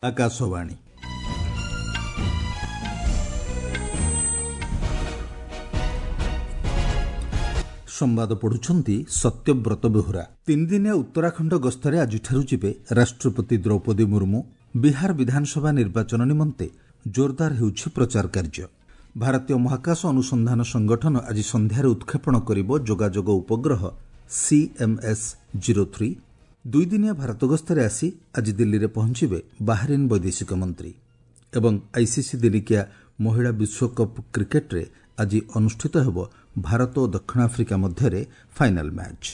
ଆକାଶବାଣୀ। ସମ୍ବାଦ ପଢୁଛନ୍ତି ସତ୍ୟବ୍ରତ ବେହୁରା। ତିନିଦିନିଆ ଉତ୍ତରାଖଣ୍ଡ ଗସ୍ତରେ ଆଜିଠାରୁ ଯିବେ ରାଷ୍ଟ୍ରପତି ଦ୍ରୌପଦୀ ମୁର୍ମୁ। ବିହାର ବିଧାନସଭା ନିର୍ବାଚନ ନିମନ୍ତେ ଜୋରଦାର ହେଉଛି ପ୍ରଚାର କାର୍ଯ୍ୟ। ଭାରତୀୟ ମହାକାଶ ଅନୁସନ୍ଧାନ ସଂଗଠନ ଆଜି ସନ୍ଧ୍ୟାରେ ଉତ୍କ୍ଷେପଣ କରିବ ଯୋଗାଯୋଗ ଉପଗ୍ରହ ସିଏମ୍ଏସ୍ 03। ଦୁଇଦିନିଆ ଭାରତ ଗସ୍ତରେ ଆସି ଆଜି ଦିଲ୍ଲୀରେ ପହଞ୍ଚିବେ ବାହାରିନ୍ ବୈଦେଶିକ ମନ୍ତ୍ରୀ। ଏବଂ ଆଇସିସି ଦିନିକିଆ ମହିଳା ବିଶ୍ୱକପ୍ କ୍ରିକେଟ୍ରେ ଆଜି ଅନୁଷ୍ଠିତ ହେବ ଭାରତ ଓ ଦକ୍ଷିଣ ଆଫ୍ରିକା ମଧ୍ୟରେ ଫାଇନାଲ୍ ମ୍ୟାଚ୍।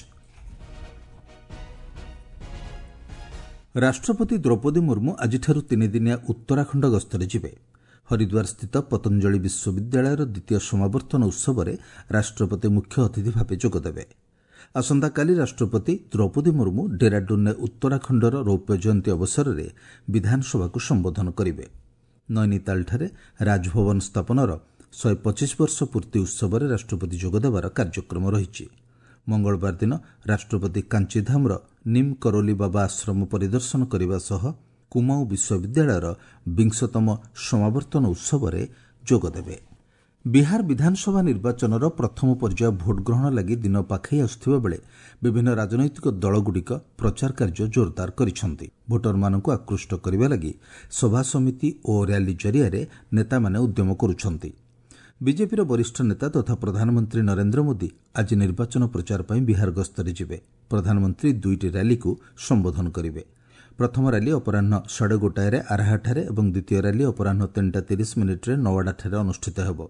ରାଷ୍ଟ୍ରପତି ଦ୍ରୌପଦୀ ମୁର୍ମୁ ଆଜିଠାରୁ ତିନିଦିନିଆ ଉତ୍ତରାଖଣ୍ଡ ଗସ୍ତରେ ଯିବେ। ହରିଦ୍ୱାରସ୍ଥିତ ପତଞ୍ଜଳି ବିଶ୍ୱବିଦ୍ୟାଳୟର ଦ୍ୱିତୀୟ ସମାବର୍ତ୍ତନ ଉତ୍ସବରେ ରାଷ୍ଟ୍ରପତି ମୁଖ୍ୟ ଅତିଥି ଭାବେ ଯୋଗଦେବେ। ଆସନ୍ତାକାଲି ରାଷ୍ଟ୍ରପତି ଦ୍ରୌପଦୀ ମୁର୍ମୁ ଡେରାଡୁନ୍ରେ ଉତ୍ତରାଖଣ୍ଡର ରୌପ୍ୟ ଜୟନ୍ତୀ ଅବସରରେ ବିଧାନସଭାକୁ ସମ୍ବୋଧନ କରିବେ। ନୈନିତାଲଠାରେ ରାଜଭବନ ସ୍ଥାପନର 125 ବର୍ଷ ପୂର୍ତ୍ତି ଉତ୍ସବରେ ରାଷ୍ଟ୍ରପତି ଯୋଗଦେବାର କାର୍ଯ୍ୟକ୍ରମ ରହିଛି। ମଙ୍ଗଳବାର ଦିନ ରାଷ୍ଟ୍ରପତି କାଞ୍ଚିଧାମର ନିମ୍ କରୋଲି ବାବା ଆଶ୍ରମ ପରିଦର୍ଶନ କରିବା ସହ କୁମାଉଁ ବିଶ୍ୱବିଦ୍ୟାଳୟର ବିଂଶତମ ସମାବର୍ତ୍ତନ ଉତ୍ସବରେ ଯୋଗଦେବେ। ବିହାର ବିଧାନସଭା ନିର୍ବାଚନର ପ୍ରଥମ ପର୍ଯ୍ୟାୟ ଭୋଟ୍ଗ୍ରହଣ ଲାଗି ଦିନ ପାଖେଇ ଆସୁଥିବା ବେଳେ ବିଭିନ୍ନ ରାଜନୈତିକ ଦଳଗୁଡ଼ିକ ପ୍ରଚାର କାର୍ଯ୍ୟ ଜୋରଦାର କରିଛନ୍ତି। ଭୋଟରମାନଙ୍କୁ ଆକୃଷ୍ଟ କରିବା ଲାଗି ସଭାସମିତି ଓ ର୍ୟାଲି ଜରିଆରେ ନେତାମାନେ ଉଦ୍ୟମ କରୁଛନ୍ତି। ବିଜେପିର ବରିଷ୍ଠ ନେତା ତଥା ପ୍ରଧାନମନ୍ତ୍ରୀ ନରେନ୍ଦ୍ର ମୋଦି ଆଜି ନିର୍ବାଚନ ପ୍ରଚାର ପାଇଁ ବିହାର ଗସ୍ତରେ ଯିବେ। ପ୍ରଧାନମନ୍ତ୍ରୀ ଦୁଇଟି ର୍ୟାଲିକୁ ସମ୍ବୋଧନ କରିବେ। ପ୍ରଥମ ର୍ୟାଲି ଅପରାହ୍ନ 1:30ରେ ଆରାହାଠାରେ ଏବଂ ଦ୍ୱିତୀୟ ର୍ୟାଲି ଅପରାହ୍ନ 3ଟା 30 ମିନିଟ୍ରେ ନୱାଡ଼ାଠାରେ ଅନୁଷ୍ଠିତ ହେବ।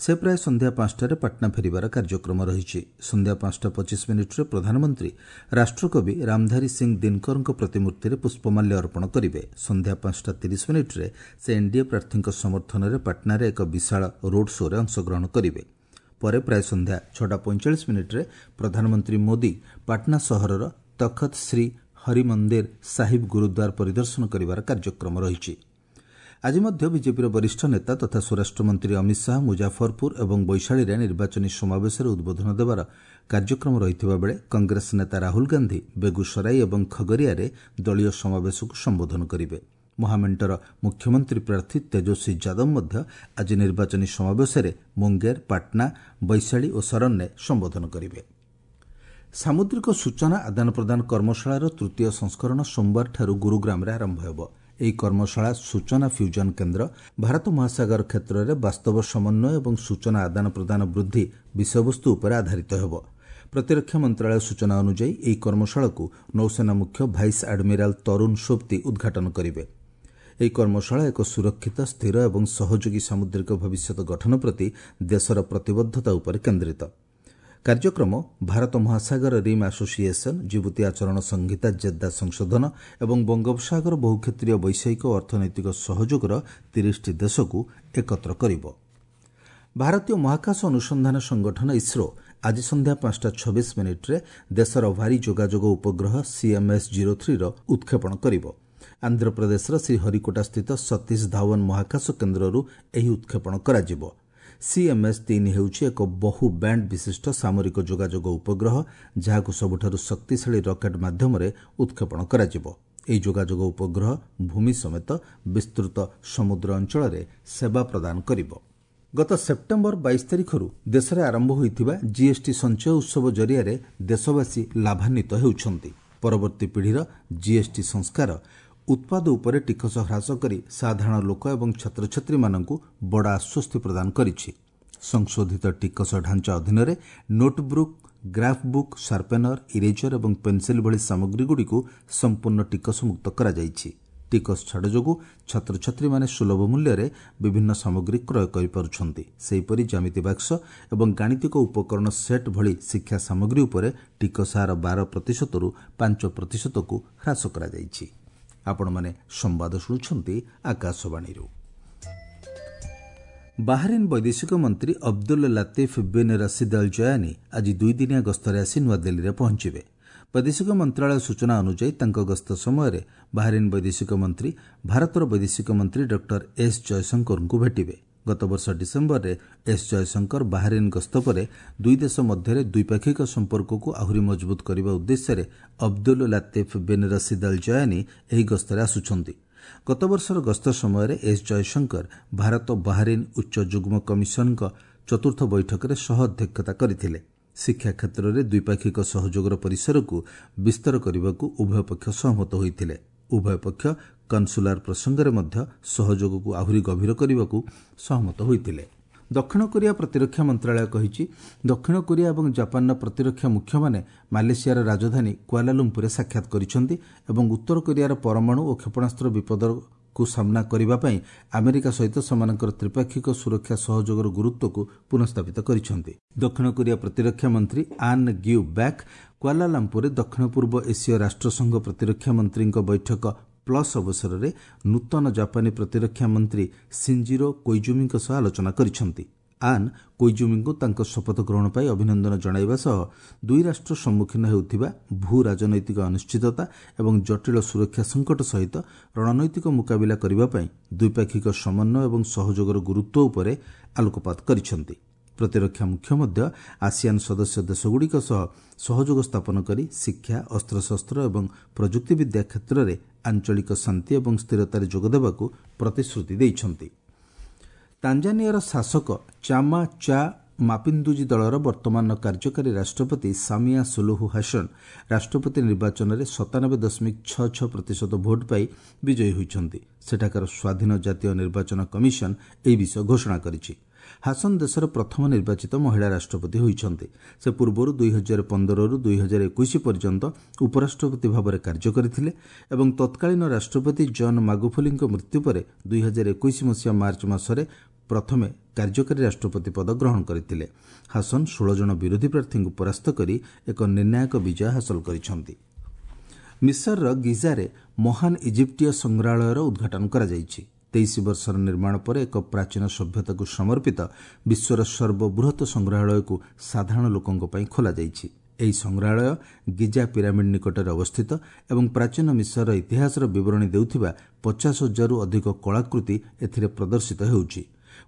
ସେ ପ୍ରାୟ ସନ୍ଧ୍ୟା 5ଟାରେ ପାଟନା ଫେରିବାର କାର୍ଯ୍ୟକ୍ରମ ରହିଛି। ସନ୍ଧ୍ୟା 5ଟା 25 ମିନିଟ୍ରେ ପ୍ରଧାନମନ୍ତ୍ରୀ ରାଷ୍ଟ୍ରକବି ରାମଧାରୀ ସିଂ ଦିନକରଙ୍କ ପ୍ରତିମୂର୍ତ୍ତିରେ ପୁଷ୍ପମାଲ୍ୟ ଅର୍ପଣ କରିବେ। ସନ୍ଧ୍ୟା 5ଟା 30 ମିନିଟ୍ରେ ସେ ଏନ୍ଡିଏ ପ୍ରାର୍ଥୀଙ୍କ ସମର୍ଥନରେ ପାଟନାରେ ଏକ ବିଶାଳ ରୋଡ୍ ଶୋ'ରେ ଅଂଶଗ୍ରହଣ କରିବେ। ପରେ ପ୍ରାୟ ସନ୍ଧ୍ୟା 6ଟା 45 ମିନିଟ୍ରେ ପ୍ରଧାନମନ୍ତ୍ରୀ ମୋଦି ପାଟନା ସହରର ତଖତ ଶ୍ରୀ ହରିମନ୍ଦିର ସାହିବ ଗୁରୁଦ୍ୱାର ପରିଦର୍ଶନ କରିବାର କାର୍ଯ୍ୟକ୍ରମ ରହିଛି। ଆଜି ମଧ୍ୟ ବିଜେପିର ବରିଷ୍ଠ ନେତା ତଥା ସ୍ୱରାଷ୍ଟ୍ରମନ୍ତ୍ରୀ ଅମିତ ଶାହା ମୁଜାଫରପୁର ଏବଂ ବୈଶାଳୀରେ ନିର୍ବାଚନୀ ସମାବେଶରେ ଉଦ୍ବୋଧନ ଦେବାର କାର୍ଯ୍ୟକ୍ରମ ରହିଥିବା ବେଳେ କଂଗ୍ରେସ ନେତା ରାହୁଲ ଗାନ୍ଧି ବେଗୁସରାଇ ଏବଂ ଖଗରିଆରେ ଦଳୀୟ ସମାବେଶକୁ ସମ୍ବୋଧନ କରିବେ। ମହାମେଣ୍ଟର ମୁଖ୍ୟମନ୍ତ୍ରୀ ପ୍ରାର୍ଥୀ ତେଜସ୍ୱୀ ଯାଦବ ମଧ୍ୟ ଆଜି ନିର୍ବାଚନୀ ସମାବେଶରେ ମୁଙ୍ଗେର, ପାଟନା, ବୈଶାଳୀ ଓ ସରନରେ ସମ୍ବୋଧନ କରିବେ। ସାମୁଦ୍ରିକ ସୂଚନା ଆଦାନ ପ୍ରଦାନ କର୍ମଶାଳାର ତୃତୀୟ ସଂସ୍କରଣ ସୋମବାରଠାରୁ ଗୁରୁଗ୍ରାମରେ ଆରମ୍ଭ ହେବ। ଏହି କର୍ମଶାଳା ସୂଚନା ଫ୍ୟୁଜନ କେନ୍ଦ୍ର, ଭାରତ ମହାସାଗର କ୍ଷେତ୍ରରେ ବାସ୍ତବ ସମନ୍ୱୟ ଏବଂ ସୂଚନା ଆଦାନ ପ୍ରଦାନ ବୃଦ୍ଧି ବିଷୟବସ୍ତୁ ଉପରେ ଆଧାରିତ ହେବ। ପ୍ରତିରକ୍ଷା ମନ୍ତ୍ରଣାଳୟ ସୂଚନା ଅନୁଯାୟୀ, ଏହି କର୍ମଶାଳାକୁ ନୌସେନା ମୁଖ୍ୟ ଭାଇସ୍ ଆଡମିରାଲ ତରୁଣ ସୋବ୍ତି ଉଦ୍ଘାଟନ କରିବେ। ଏହି କର୍ମଶାଳା ଏକ ସୁରକ୍ଷିତ, ସ୍ଥିର ଏବଂ ସହଯୋଗୀ ସାମୁଦ୍ରିକ ଭବିଷ୍ୟତ ଗଠନ ପ୍ରତି ଦେଶର ପ୍ରତିବଦ୍ଧତା ଉପରେ କେନ୍ଦ୍ରିତ। କାର୍ଯ୍ୟକ୍ରମ ଭାରତ ମହାସାଗର ରିମ୍ ଆସୋସିଏସନ୍, ଜିବୁତି ଆଚରଣ ସଂହିତା ଜେଦ୍ଦା ସଂଶୋଧନ ଏବଂ ବଙ୍ଗୋପସାଗର ବହୁକ୍ଷେତ୍ରୀୟ ବୈଷୟିକ ଓ ଅର୍ଥନୈତିକ ସହଯୋଗର 30ଟି ଦେଶକୁ ଏକତ୍ର କରିବ। ଭାରତୀୟ ମହାକାଶ ଅନୁସନ୍ଧାନ ସଂଗଠନ ଇସ୍ରୋ ଆଜି ସନ୍ଧ୍ୟା 5ଟା 26 ମିନିଟ୍ରେ ଦେଶର ଭାରୀ ଯୋଗାଯୋଗ ଉପଗ୍ରହ ସିଏମ୍ଏସ୍ 03ର ଉତ୍କ୍ଷେପଣ କରିବ। ଆନ୍ଧ୍ରପ୍ରଦେଶର ଶ୍ରୀହରିକୋଟାସ୍ଥିତ ସତୀଶ ଧାୱନ ମହାକାଶ କେନ୍ଦ୍ରରୁ ଏହି ଉତ୍କ୍ଷେପଣ କରାଯିବ। ସିଏମ୍ଏସ୍ 3 ହେଉଛି ଏକ ବହୁ ବ୍ୟାଣ୍ଡ ବିଶିଷ୍ଟ ସାମରିକ ଯୋଗାଯୋଗ ଉପଗ୍ରହ, ଯାହାକୁ ସବୁଠାରୁ ଶକ୍ତିଶାଳୀ ରକେଟ୍ ମାଧ୍ୟମରେ ଉତ୍କ୍ଷେପଣ କରାଯିବ। ଏହି ଯୋଗାଯୋଗ ଉପଗ୍ରହ ଭୂମି ସମେତ ବିସ୍ତୃତ ସମୁଦ୍ର ଅଞ୍ଚଳରେ ସେବା ପ୍ରଦାନ କରିବ। ଗତ ସେପ୍ଟେମ୍ବର 22 ତାରିଖରୁ ଦେଶରେ ଆରମ୍ଭ ହୋଇଥିବା ଜିଏସ୍ଟି ସଞ୍ଚୟ ଉତ୍ସବ ଜରିଆରେ ଦେଶବାସୀ ଲାଭାନ୍ୱିତ ହେଉଛନ୍ତି। ପରବର୍ତ୍ତୀ ପିଢ଼ିର ଜିଏସ୍ଟି ସଂସ୍କାର ଉତ୍ପାଦ ଉପରେ ଟିକସ ହ୍ରାସ କରି ସାଧାରଣ ଲୋକ ଏବଂ ଛାତ୍ରଛାତ୍ରୀମାନଙ୍କୁ ବଡ଼ ଆଶ୍ୱସ୍ତି ପ୍ରଦାନ କରିଛି। ସଂଶୋଧିତ ଟିକସ ଢାଞ୍ଚା ଅଧୀନରେ ନୋଟ୍ବୁକ୍, ଗ୍ରାଫ୍ ବୁକ୍, ସାର୍ପେନର, ଇରେଜର ଏବଂ ପେନ୍ସିଲ୍ ଭଳି ସାମଗ୍ରୀଗୁଡ଼ିକୁ ସମ୍ପୂର୍ଣ୍ଣ ଟିକସମୁକ୍ତ କରାଯାଇଛି। ଟିକସ ଛାଡ଼ ଯୋଗୁଁ ଛାତ୍ରଛାତ୍ରୀମାନେ ସୁଲଭ ମୂଲ୍ୟରେ ବିଭିନ୍ନ ସାମଗ୍ରୀ କ୍ରୟ କରିପାରୁଛନ୍ତି। ସେହିପରି ଜ୍ୟାମିତି ବାକ୍ସ ଏବଂ ଗାଣିତିକ ଉପକରଣ ସେଟ୍ ଭଳି ଶିକ୍ଷା ସାମଗ୍ରୀ ଉପରେ ଟିକସ ହାର 12 ପ୍ରତିଶତରୁ 5 ପ୍ରତିଶତକୁ ହ୍ରାସ କରାଯାଇଛି। ଆପଣମାନେ ସମ୍ବାଦ ଶୁଣୁଛନ୍ତି ଆକାଶବାଣୀରୁ। ବାହାରିନ୍ ବୈଦେଶିକ ମନ୍ତ୍ରୀ Abdul Latif bin Rashid all ଜୟାନି ଆଜି ଦୁଇଦିନିଆ ଗସ୍ତରେ ଆସି ନୂଆଦିଲ୍ଲୀରେ ପହଞ୍ଚିବେ। ବୈଦେଶିକ ମନ୍ତ୍ରଣାଳୟ ସୂଚନା ଅନୁଯାୟୀ, ତାଙ୍କ ଗସ୍ତ ସମୟରେ ବାହାରିନ୍ ବୈଦେଶିକ ମନ୍ତ୍ରୀ ଭାରତର ବୈଦେଶିକ ମନ୍ତ୍ରୀ ଡକ୍ଟର ଏସ୍ ଜୟଶଙ୍କରଙ୍କୁ ଭେଟିବେ। ଗତବର୍ଷ ଡିସେମ୍ବରରେ ଏସ୍ ଜୟଶଙ୍କର ବାହାରିନ୍ ଗସ୍ତ ପରେ ଦୁଇ ଦେଶ ମଧ୍ୟରେ ଦ୍ୱିପାକ୍ଷିକ ସମ୍ପର୍କକୁ ଆହୁରି ମଜବୁତ କରିବା ଉଦ୍ଦେଶ୍ୟରେ Abdul Latif bin Rashid all ଜୟାନି ଏହି ଗସ୍ତରେ ଆସୁଛନ୍ତି। ଗତବର୍ଷର ଗସ୍ତ ସମୟରେ ଏସ୍ ଜୟଶଙ୍କର ଭାରତ ବାହାରିନ୍ ଉଚ୍ଚ ଯୁଗ୍ମ କମିଶନଙ୍କ ଚତୁର୍ଥ ବୈଠକରେ ସହ ଅଧ୍ୟକ୍ଷତା କରିଥିଲେ। ଶିକ୍ଷା କ୍ଷେତ୍ରରେ ଦ୍ୱିପାକ୍ଷିକ ସହଯୋଗର ପରିସରକୁ ବିସ୍ତର କରିବାକୁ ଉଭୟ ପକ୍ଷ ସହମତ ହୋଇଥିଲେ। ଉଭୟ ପକ୍ଷ କନସୁଲାର ପ୍ରସଙ୍ଗରେ ମଧ୍ୟ ସହଯୋଗକୁ ଆହୁରି ଗଭୀର କରିବାକୁ ସହମତ ହୋଇଥିଲେ। ଦକ୍ଷିଣ କୋରିଆ ପ୍ରତିରକ୍ଷା ମନ୍ତ୍ରଣାଳୟ କହିଛି, ଦକ୍ଷିଣ କୋରିଆ ଏବଂ ଜାପାନର ପ୍ରତିରକ୍ଷା ମୁଖ୍ୟମାନେ ମାଲେସିଆର ରାଜଧାନୀ କୁଆଲାଲୁମ୍ପୁରରେ ସାକ୍ଷାତ କରିଛନ୍ତି ଏବଂ ଉତ୍ତର କୋରିଆର ପରମାଣୁ ଓ କ୍ଷେପଣାସ୍ତ୍ର ବିପଦକୁ ସାମ୍ନା କରିବା ପାଇଁ ଆମେରିକା ସହିତ ସେମାନଙ୍କର ତ୍ରିପାକ୍ଷିକ ସୁରକ୍ଷା ସହଯୋଗର ଗୁରୁତ୍ୱକୁ ପୁନଃସ୍ଥାପିତ କରିଛନ୍ତି। ଦକ୍ଷିଣ କୋରିଆ ପ୍ରତିରକ୍ଷା ମନ୍ତ୍ରୀ ଆନ୍ ଗ୍ୟୁ ବ୍ୟାକ୍ କୁଆଲାଲମ୍ପୁରରେ ଦକ୍ଷିଣ ପୂର୍ବ ଏସୀୟ ରାଷ୍ଟ୍ରସଂଘ ପ୍ରତିରକ୍ଷା ମନ୍ତ୍ରୀଙ୍କ ବୈଠକ ପ୍ଲସ୍ ଅବସରରେ ନୂତନ ଜାପାନୀ ପ୍ରତିରକ୍ଷା ମନ୍ତ୍ରୀ ସିଞ୍ଜିରୋ କୋଇଜୁମିଙ୍କ ସହ ଆଲୋଚନା କରିଛନ୍ତି। ଆନ୍ କୋଇଜୁମିଙ୍କୁ ତାଙ୍କ ଶପଥ ଗ୍ରହଣ ପାଇଁ ଅଭିନନ୍ଦନ ଜଣାଇବା ସହ ଦୁଇ ରାଷ୍ଟ୍ର ସମ୍ମୁଖୀନ ହେଉଥିବା ଭୂ ରାଜନୈତିକ ଅନିଶ୍ଚିତତା ଏବଂ ଜଟିଳ ସୁରକ୍ଷା ସଙ୍କଟ ସହିତ ରଣନୈତିକ ମୁକାବିଲା କରିବା ପାଇଁ ଦ୍ୱିପାକ୍ଷିକ ସମନ୍ୱୟ ଏବଂ ସହଯୋଗର ଗୁରୁତ୍ୱ ଉପରେ ଆଲୋକପାତ କରିଛନ୍ତି। ପ୍ରତିରକ୍ଷା ମୁଖ୍ୟ ମଧ୍ୟ ଆସିଆନ୍ ସଦସ୍ୟ ଦେଶଗୁଡ଼ିକ ସହ ସହଯୋଗ ସ୍ଥାପନ କରି ଶିକ୍ଷା, ଅସ୍ତ୍ରଶସ୍ତ୍ର ଏବଂ ପ୍ରଯୁକ୍ତିବିଦ୍ୟା କ୍ଷେତ୍ରରେ ଆଞ୍ଚଳିକ ଶାନ୍ତି ଏବଂ ସ୍ଥିରତାରେ ଯୋଗଦେବାକୁ ପ୍ରତିଶ୍ରୁତି ଦେଇଛନ୍ତି। ତାଞ୍ଜାନିଆର ଶାସକ ଚାମା ଚା ମାପିନ୍ଦୁଜି ଦଳର ବର୍ତ୍ତମାନର କାର୍ଯ୍ୟକାରୀ ରାଷ୍ଟ୍ରପତି ସାମିଆ ସୁଲୁହୁ ହାସନ ରାଷ୍ଟ୍ରପତି ନିର୍ବାଚନରେ 97.66% ଭୋଟ୍ ପାଇ ବିଜୟୀ ହୋଇଛନ୍ତି। ସେଠାକାର ସ୍ୱାଧୀନ ଜାତୀୟ ନିର୍ବାଚନ କମିଶନ ଏହି ବିଷୟ ଘୋଷଣା କରିଛି। ହାସନ ଦେଶର ପ୍ରଥମ ନିର୍ବାଚିତ ମହିଳା ରାଷ୍ଟ୍ରପତି ହୋଇଛନ୍ତି। ସେ ପୂର୍ବରୁ 2015ରୁ 2021 ପର୍ଯ୍ୟନ୍ତ ଉପରାଷ୍ଟ୍ରପତି ଭାବରେ କାର୍ଯ୍ୟ କରିଥିଲେ ଏବଂ ତତ୍କାଳୀନ ରାଷ୍ଟ୍ରପତି ଜନ୍ ମାଗୁଫୁଲିଙ୍କ ମୃତ୍ୟୁ ପରେ 2021 ମସିହା ମାର୍ଚ୍ଚ ମାସରେ ପ୍ରଥମେ କାର୍ଯ୍ୟକାରୀ ରାଷ୍ଟ୍ରପତି ପଦ ଗ୍ରହଣ କରିଥିଲେ। ହାସନ 16 ଜଣ ବିରୋଧୀ ପ୍ରାର୍ଥୀଙ୍କୁ ପରାସ୍ତ କରି ଏକ ନିର୍ଣ୍ଣାୟକ ବିଜୟ ହାସଲ କରିଛନ୍ତି। ମିଶରର ଗିଜାରେ ମହାନ ଇଜିପ୍ଟୀୟ ସଂଗ୍ରହାଳୟର ଉଦ୍ଘାଟନ କରାଯାଇଛି। 23 ବର୍ଷର ନିର୍ମାଣ ପରେ ଏକ ପ୍ରାଚୀନ ସଭ୍ୟତାକୁ ସମର୍ପିତ ବିଶ୍ୱର ସର୍ବବୃହତ ସଂଗ୍ରହାଳୟକୁ ସାଧାରଣ ଲୋକଙ୍କ ପାଇଁ ଖୋଲାଯାଇଛି। ଏହି ସଂଗ୍ରହାଳୟ ଗିଜା ପିରାମିଡ୍ ନିକଟରେ ଅବସ୍ଥିତ ଏବଂ ପ୍ରାଚୀନ ମିଶରର ଇତିହାସର ବିବରଣୀ ଦେଉଥିବା 50,000ରୁ ଅଧିକ କଳାକୃତି ଏଥିରେ ପ୍ରଦର୍ଶିତ ହେଉଛି।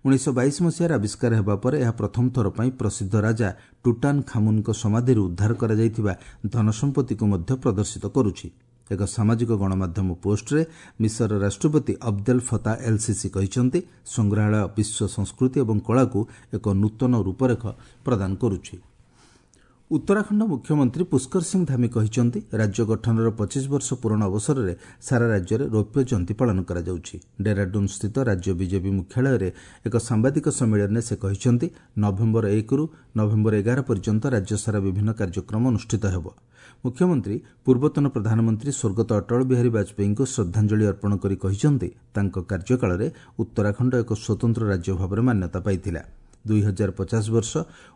1922 ମସିହାରେ ଆବିଷ୍କାର ହେବା ପରେ ଏହା ପ୍ରଥମ ଥର ପାଇଁ ପ୍ରସିଦ୍ଧ ରାଜା ଟୁଟାନ ଖାମୁନଙ୍କ ସମାଧିରୁ ଉଦ୍ଧାର କରାଯାଇଥିବା ଧନସମ୍ପତ୍ତିକୁ ମଧ୍ୟ ପ୍ରଦର୍ଶିତ କରୁଛି। ଏକ ସାମାଜିକ ଗଣମାଧ୍ୟମ ପୋଷ୍ଟରେ ମିଶରର ରାଷ୍ଟ୍ରପତି ଅବଦେଲ ଫତା ଏଲ୍ ସିସି କହିଛନ୍ତି, ସଂଗ୍ରହାଳୟ ବିଶ୍ୱ ସଂସ୍କୃତି ଏବଂ କଳାକୁ ଏକ ନୂତନ ରୂପରେଖ ପ୍ରଦାନ କରୁଛି। ଉତ୍ତରାଖଣ୍ଡ ମୁଖ୍ୟମନ୍ତ୍ରୀ ପୁଷ୍କର ସିଂ ଧାମି କହିଛନ୍ତି, ରାଜ୍ୟ ଗଠନର 25 ବର୍ଷ ପୂରଣ ଅବସରରେ ସାରା ରାଜ୍ୟରେ ରୌପ୍ୟ ଜୟନ୍ତୀ ପାଳନ କରାଯାଉଛି। ଡେରାଡୁନ୍ ସ୍ଥିତ ରାଜ୍ୟ ବିଜେପି ମୁଖ୍ୟାଳୟରେ ଏକ ସାମ୍ବାଦିକ ସମ୍ମିଳନୀରେ ସେ କହିଛନ୍ତି, ନଭେମ୍ବର 1ରୁ ନଭେମ୍ବର 11 ପର୍ଯ୍ୟନ୍ତ ରାଜ୍ୟସାରା ବିଭିନ୍ନ କାର୍ଯ୍ୟକ୍ରମ ଅନୁଷ୍ଠିତ ହେବ। ମୁଖ୍ୟମନ୍ତ୍ରୀ ପୂର୍ବତନ ପ୍ରଧାନମନ୍ତ୍ରୀ ସ୍ୱର୍ଗତ ଅଟଳ ବିହାରୀ ବାଜପେୟୀଙ୍କୁ ଶ୍ରଦ୍ଧାଞ୍ଜଳି ଅର୍ପଣ କରି କହିଛନ୍ତି, ତାଙ୍କ କାର୍ଯ୍ୟକାଳରେ ଉତ୍ତରାଖଣ୍ଡ ଏକ ସ୍ୱତନ୍ତ୍ର ରାଜ୍ୟ ଭାବରେ ମାନ୍ୟତା ପାଇଥିଲା। 2050 ବର୍ଷ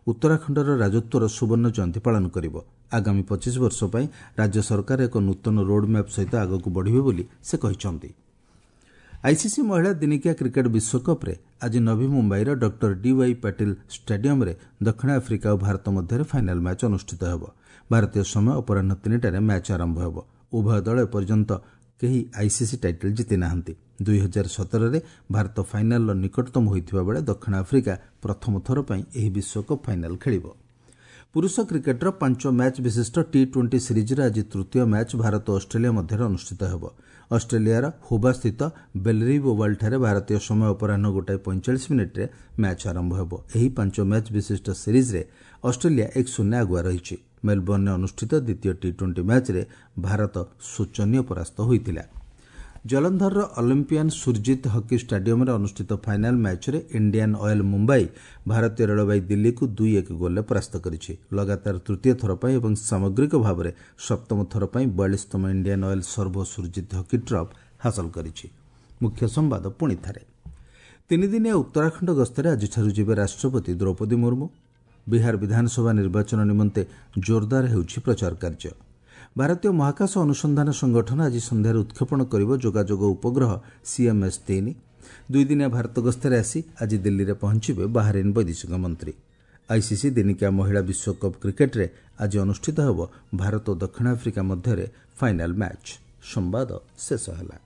ଉତ୍ତରାଖଣ୍ଡର ରାଜତ୍ୱର ସୁବର୍ଣ୍ଣ ଜୟନ୍ତୀ ପାଳନ କରିବ। ଆଗାମୀ 25 ବର୍ଷ ପାଇଁ ରାଜ୍ୟ ସରକାର ଏକ ନୂତନ ରୋଡ୍ମ୍ୟାପ୍ ସହିତ ଆଗକୁ ବଢ଼ିବେ ବୋଲି ସେ କହିଛନ୍ତି। ଆଇସିସି ମହିଳା ଦିନିକିଆ କ୍ରିକେଟ୍ ବିଶ୍ୱକପ୍ରେ ଆଜି ନଭି ମୁମ୍ବାଇର ଡକ୍ଟର ଡିୱାଇ ପାଟିଲ ଷ୍ଟାଡିୟମ୍ରେ ଦକ୍ଷିଣ ଆଫ୍ରିକା ଓ ଭାରତ ମଧ୍ୟରେ ଫାଇନାଲ୍ ମ୍ୟାଚ୍ ଅନୁଷ୍ଠିତ ହେବ। ଭାରତୀୟ ସମୟ ଅପରାହ୍ନ 3ଟାରେ ମ୍ୟାଚ୍ ଆରମ୍ଭ ହେବ। ଉଭୟ ଦଳ ଏପର୍ଯ୍ୟନ୍ତ କେହି ଆଇସିସି ଟାଇଟଲ୍ ଜିତି ନାହାନ୍ତି। 2017ରେ ଭାରତ ଫାଇନାଲ୍ର ନିକଟତମ ହୋଇଥିବା ବେଳେ ଦକ୍ଷିଣ ଆଫ୍ରିକା ପ୍ରଥମ ଥର ପାଇଁ ଏହି ବିଶ୍ୱକପ୍ ଫାଇନାଲ୍ ଖେଳିବ। ପୁରୁଷ କ୍ରିକେଟ୍ର 5 ମ୍ୟାଚ୍ ବିଶିଷ୍ଟ ଟି-20 ସିରିଜ୍ର ଆଜି ତୃତୀୟ ମ୍ୟାଚ୍ ଭାରତ ଓ ଅଷ୍ଟ୍ରେଲିଆ ମଧ୍ୟରେ ଅନୁଷ୍ଠିତ ହେବ। ଅଷ୍ଟ୍ରେଲିଆର ହୋବାସ୍ଥିତ ବେଲରିଭ୍ ଓଭାଲ୍ଠାରେ ଭାରତୀୟ ସମୟ ଅପରାହ୍ନ 1:45 ମ୍ୟାଚ୍ ଆରମ୍ଭ ହେବ। ଏହି 5 ମ୍ୟାଚ୍ ବିଶିଷ୍ଟ ସିରିଜ୍ରେ ଅଷ୍ଟ୍ରେଲିଆ 1-0 ଆଗୁଆ ରହିଛି। ମେଲବର୍ଣ୍ଣରେ ଅନୁଷ୍ଠିତ ଦ୍ୱିତୀୟ ଟି-20 ମ୍ୟାଚ୍ରେ ଭାରତ ଶୋଚନୀୟ ପରାସ୍ତ ହୋଇଥିଲା। ଜଲନ୍ଧରର ଅଲିମ୍ପିଆନ୍ ସୁରଜିତ୍ ହକି ଷ୍ଟାଡିୟମ୍ରେ ଅନୁଷ୍ଠିତ ଫାଇନାଲ୍ ମ୍ୟାଚ୍ରେ ଇଣ୍ଡିଆନ୍ ଅଏଲ୍ ମୁମ୍ବାଇ ଭାରତୀୟ ରେଳବାଇ ଦିଲ୍ଲୀକୁ 2-1 ଗୋଲ୍ରେ ପରାସ୍ତ କରିଛି। ଲଗାତାର ତୃତୀୟ ଥର ପାଇଁ ଏବଂ ସାମଗ୍ରିକ ଭାବରେ ସପ୍ତମ ଥର ପାଇଁ 42ତମ Indian Oil Servo Surjit hockey trophy ହାସଲ କରିଛି। ମୁଖ୍ୟ ସମ୍ବାଦ ପୁଣି ଥରେ। ତିନିଦିନିଆ ଉତ୍ତରାଖଣ୍ଡ ଗସ୍ତରେ ଆଜିଠାରୁ ଯିବେ ରାଷ୍ଟ୍ରପତି ଦ୍ରୌପଦୀ ମୁର୍ମୁ। ବିହାର ବିଧାନସଭା ନିର୍ବାଚନ ନିମନ୍ତେ ଜୋରଦାର ହେଉଛି ପ୍ରଚାର କାର୍ଯ୍ୟ। ଭାରତୀୟ ମହାକାଶ ଅନୁସନ୍ଧାନ ସଂଗଠନ ଆଜି ସନ୍ଧ୍ୟାରେ ଉତ୍କ୍ଷେପଣ କରିବ ଯୋଗାଯୋଗ ଉପଗ୍ରହ CMS-3। ଦୁଇଦିନିଆ ଭାରତ ଗସ୍ତରେ ଆସି ଆଜି ଦିଲ୍ଲୀରେ ପହଞ୍ଚିବେ ବାହାରିନ୍ ବୈଦେଶିକ ମନ୍ତ୍ରୀ। ଆଇସିସି ଦିନିକିଆ ମହିଳା ବିଶ୍ୱକପ୍ କ୍ରିକେଟ୍ରେ ଆଜି ଅନୁଷ୍ଠିତ ହେବ ଭାରତ ଓ ଦକ୍ଷିଣ ଆଫ୍ରିକା ମଧ୍ୟରେ ଫାଇନାଲ୍ ମ୍ୟାଚ୍। ସମ୍ବାଦ ଶେଷ ହେଲା।